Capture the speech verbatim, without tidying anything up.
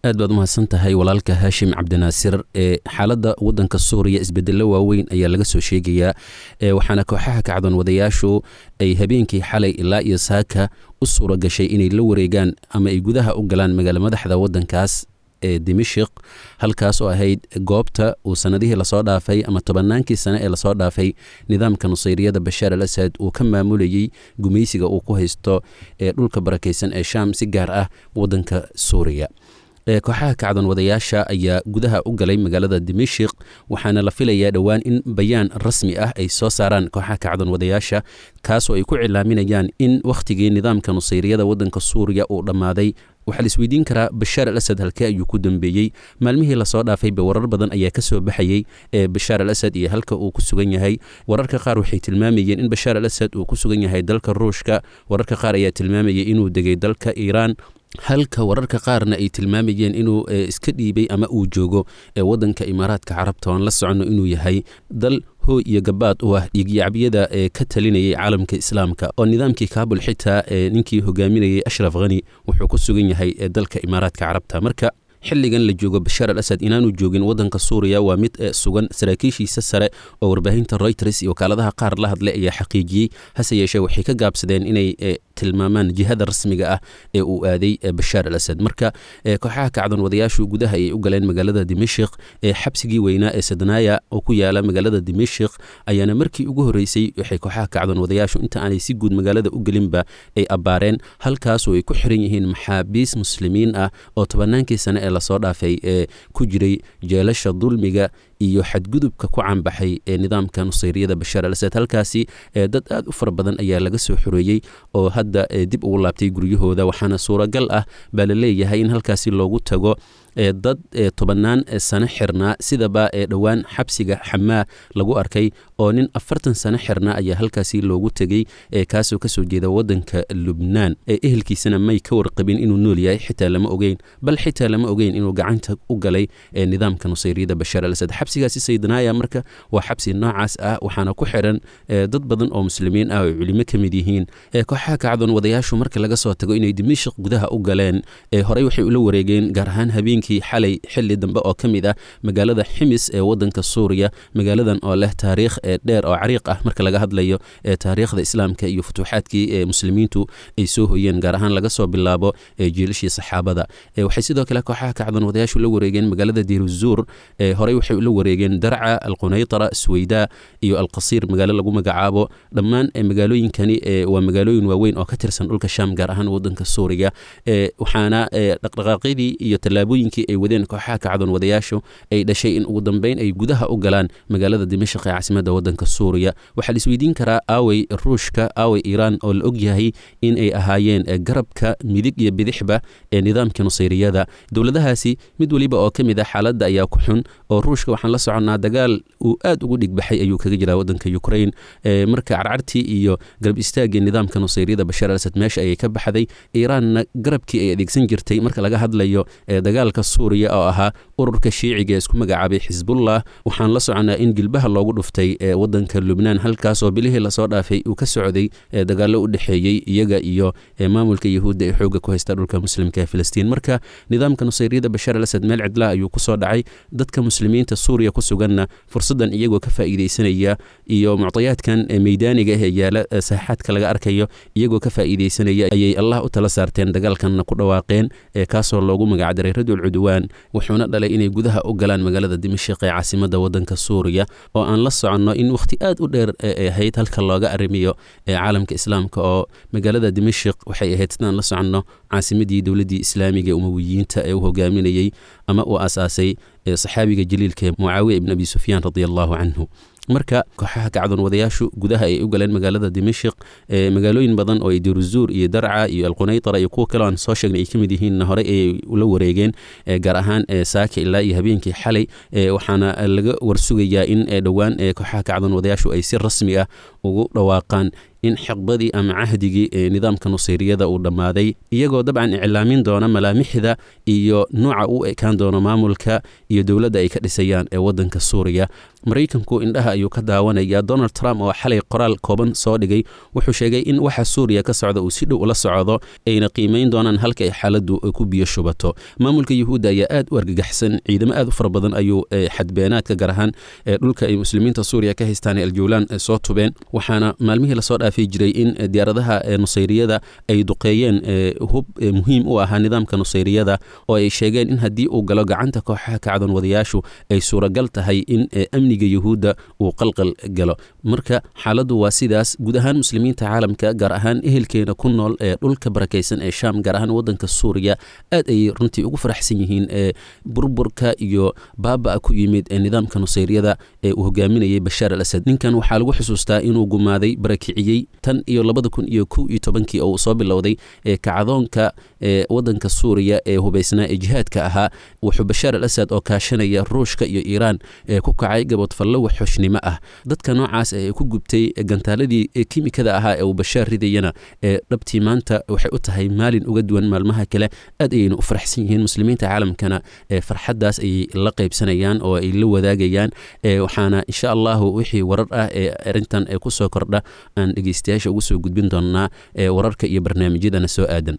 Aad baad umahadsan tahay walaalka Haashim Cabdinaasir. Ee xaaladda waddanka Suuriya isbedello waaweyn ayaa laga soo sheegayaa, waxaana kooxaha kacdoon wadayaashu ay habeenkii xalay ilaa iyo saaka u suura gashay inay la wareegaan ama ay gudaha u galaan magaalo madaxda waddankaas ee Dimashik, halkaas oo ahayd goobta uu sanadihii lasoo dhaafay ama tobannaankii sane ee lasoo dhaafay nidaamka nusayriyada Bashaar al Asad uu ka maamulayey gumaysiga uu ku haysto ee dhulka barakaysan ee Shaam, si gaar ah waddanka Suuriya. Kooxaha kacdoon wadayaasha ayaa gudaha u galay magaalada Dimashik, waxaana la filayaa dhowaan in bayaan rasmi ah ay soo saaraan kooxaha kacdoon wadayaasha, kaasoo ay ku cilaaminayaan in wakhtigii nidaamka nusayriyada waddanka Suuriya uu dhammaaday. Waxaa la isweydiin karaa, Bashaar al Asad halkee ayuu ku dambeeyey? Maalmihii lasoo dhaafayba warar badan ayaa ka soo baxayey ee Bashaar al Asad iyo halka uu ku sugan yahay. Wararka qaar waxay tilmaamayeen in Bashaar al Asad uu ku sugan yahay dalka Ruushka, wararka qaar ayaa tilmaamayay inuu degay dalka Iiraan, halka wararka qaarna ay tilmaamayeen inuu iska dhiibay ama uu joogo waddanka Imaaraadka Carabta, oan la soconno inuu yahay dal hooy iyo gabaad u ah dhiigyacabyada ee ka talinayay caalamka Islaamka, oo nidaamkii Kaabul xitaa ninkii hogaaminayay Ashraf Khani wuxuu ku sugan yahay dalka Imaaraadka Carabta. Marka xilligan la joogo Bashaar al Asad inaanu joogin waddanka Suuriya waa mid sugan. Saraakiishiisa sare oo warbaahinta Reuters iyo wakaaladaha qaar la hadlay ayaa xaqiijiyey, hase yeeshee waxay ka gaabsadeen inay tilmaamaan jihada rasmiga ah ee uu aaday Bashaar al Asad. Marka kooxaha kacdoon wadayaashu gudaha ayay u galeen magaalada Dimashik, ee xabsigii weynaa ee Sadnaya oo ku yaala magaalada Dimashik ayaana markii ugu horreysay waxay kooxaha kacdoon wadayaashu inta aanay si guud magaalada u gelinba ay abbaareen, halkaasoo ay ku xiran yihiin maxaabiis muslimiin ah oo tobannaankii sane ee lasoo dhaafay ee ku jiray jeelasha dulmiga iyo xadgudubka ku caanbaxay ee nidaamka nusayriyada Bashaar al Asad. Halkaasi dad aad u fara badan ayaa laga soo xoreeyey oo hadda dib ugu laabtay guryahooda, waxaana suuragal ah baa la leeyahay in halkaasi loogu tago dad tobannaan sano xirnaa, sidaba ee dhowaan xabsiga Xamaa lagu arkay oo nin afartan sano xirnaa ayaa halkaasi loogu tegey, kaasoo kasoo jeeda waddanka Lubnaan. Ehelkiisana may ka warqabin inuu nool yahay, xitaa lama ogeyn, bal xitaa lama ogeyn inuu gacanta u galay nidaamka nusayriyada Bashaar al Asad. Xabsigaasi Saydanaaya marka waa xabsi noocaas ah, waxaana ku xiran dad badan oo muslimiin ah oo culimo ka mid yihiin. Kooxaha kacdoon wadayaashu marka laga soo tago inay Dimashik gudaha u galeen, horey waxay ula wareegeen gaar ahaan habeenkii xalay xilli dambe oo ka mid ah magaalada Ximis ee waddanka Suuriya, magaaladan oo leh taariikh dheer oo cariiq ah marka laga hadlayo taariikhda Islaamka iyo futuuxaadkii ee muslimiintu ay soo hoyeen, gaar ahaan laga soo bilaabo jiilashii saxaabada. Waxay sidoo kale kooxaha kacdoon wadayaashu la wareegeen magaalada Diiruzuur, horey waxay ula wareegeen Darca, Alqunaytara, Sweyda iyo Alqasiir magaalo lagu magacaabo. Dhammaan magaalooyinkani waa magaalooyin waaweyn oo ka tirsan dhulka Shaam, gaar ahaan waddanka Suuriya, waxaana dhaqdhaqaaqyadii iyo tallaabooyinkii ay wadeen kooxaha kacdoon wadayaashu ay dhashay in ugu dambeyn ay gudaha u galaan magaalada Dimashq ee caasimadda waddanka Suuriya. Waxaa la isweydiin karaa, aawey Ruushka, aawey Iiraan oo la og yahay in ay ahaayeen garabka midig iyo bidixba ee nidaamka nusayriyada? Dowladahaasi mid weliba oo ka mid ah xaaladda ayaa ku xun, oo Ruushka waxaan la soconnaa dagaal uu aad ugu dhigbaxay ayuu kaga jiraa waddanka Ukraine. Marka carcartii iyo garab istaaggii nidaamka nusayriyada Bashaar al Asad meesha ayay ka baxday. Iiraanna garabkii ay adeegsan jirtay marka laga hadlayo dagaalka Suuriya oo ahaa ururka shiiciga ee isku magacaabay Xisbullah, waxaan la soconnaa in gilbaha loogu dhuftay waddanka Lubnaan, halkaasoo bilihii lasoo dhaafay uu ka socday dagaallo u dhexeeyey iyaga iyo maamulka Yahuudda ee xoogga ku haysta dhulka muslimka ee Filistiin. Marka nidaamka nusayriyada Bashaar al Asad meel cidlaa ayuu kusoo dhacay. Dadka muslimiinta Suuriya ku suganna fursaddan iyagoo ka faa'iidaysanaya iyo muctayaadkan meydaaniga ah ee yaala saaxaadka laga arkayo iyagoo ka faa'iidaysanaya ayay Allah u tala saarteen, dagaalkanna ku dhawaaqeen, kaasoo loogu magacdaray Radul Cudwaan, wuxuuna dhalay inay gudaha u galaan magaalada Dimashik ee caasimadda waddanka Suuriya, oo aan la soconno in wakhti aad u dheer ay ahayd halka looga arrimiyo caalamka Islaamka, oo magaalada Dimashik waxay ahayd, sidaan la soconno, caasimadii dowladdii islaamiga ee Umawiyiinta ee u hogaaminayey ama uu aasaasay saxaabiga jaliilka ee Mucaawiya ibn Abi Sufyaan radia allahu canhu. Marka kooxaha kacdoon wadayaashu gudaha ay u galeen magaalada Dimashik, magaalooyin badan oo ay Diruzuur iyo Darca iyo Alqunaytara iyo kuwa kale aan soo sheegnay ay ka mid yihiinna horey ayay ula wareegeen, gaar ahaan saaka ilaa iyo habeenkii xalay, waxaana laga warsugayaa in dhowaan kooxaha kacdoon wadayaashu ay si rasmi ah ugu dhawaaqaan In xiqbadii ama cahdigii ee nidaamka Nusayriyada uu dhammaaday, iyagoo dabcan iclaamin doona malaamixda iyo nooca u ekaan doono maamulka iyo dowladda ay ka dhisayaan ee waddanka Suuriya. Maraykanku indhaha ayuu ka daawanaya. Donald Trump oo xalay qoraal kooban soo dhigay wuxuu sheegay in waxa Suuriya ka socda uu si dhow ula socdo, ayna qiimayn doonaan halka ay xaaladdu ku biyo shubato. Maamulka Yuhuudda ayaa aad u argagaxsan. Ciidamo aad u fara badan ayuu xadbeenaadka, gaar ahaan dhulka ay muslimiinta Suuriya ka haystaan ee Aljawlaan, soo tubeen, waxaana maalmihii lasoo dhaafi jiray in diyaaradaha Nusayriyada ay duqeeyeen hub muhiim u ahaa nidaamka Nusayriyada, oo ay sheegeen in haddii uu galo gacanta kooxaha kacdoon wadayaashu ay suuragal tahay in amniga Yuhuudda uu qalqal galo. Marka xaaladdu waa sidaas. Guud ahaan muslimiinta caalamka, gaar ahaan ehelkeena ku nool ee dhulka barakaysan ee Shaam, gaar ahaan waddanka Suuriya, aad ayay runtii ugu faraxsan yihiin ee burburka iyo baaba'a ku yimid ee nidaamka Nusayriyada ee uu hogaaminayay Bashaar al Asad. Ninkan waxaa lagu xusuustaa inuu gumaaday, barakiciyey tan iyo labada kun iyo kow iyo tobankii oo uu soo bilowday ee kacdoonka ee waddanka Suuriya ee hubaysnaa ee jihaadka ahaa. Wuxuu Bashaar al Asad oo kaashanaya Ruushka iyo Iiraan ee ku kacay gabodfallo waxxushnimo ah. Dadka noocaas ee ku gubtay gantaaladii kimikada ahaa ee uu Bashaar ridayana ee dhabtii maanta waxay u tahay maalin uga duwan maalmaha kale. Aad ayayna u faraxsan yihiin, muslimiinta caalamkana ee farxaddaas ayay la qaybsanayaan oo ay la wadaagayaan. Waxaana insha Allahu wixii warar ah ee arrintan ee kusoo kordha aan dhegeystayaasha ugu soo gudbin doonaa wararka iyo barnaamijyadana soo aadan.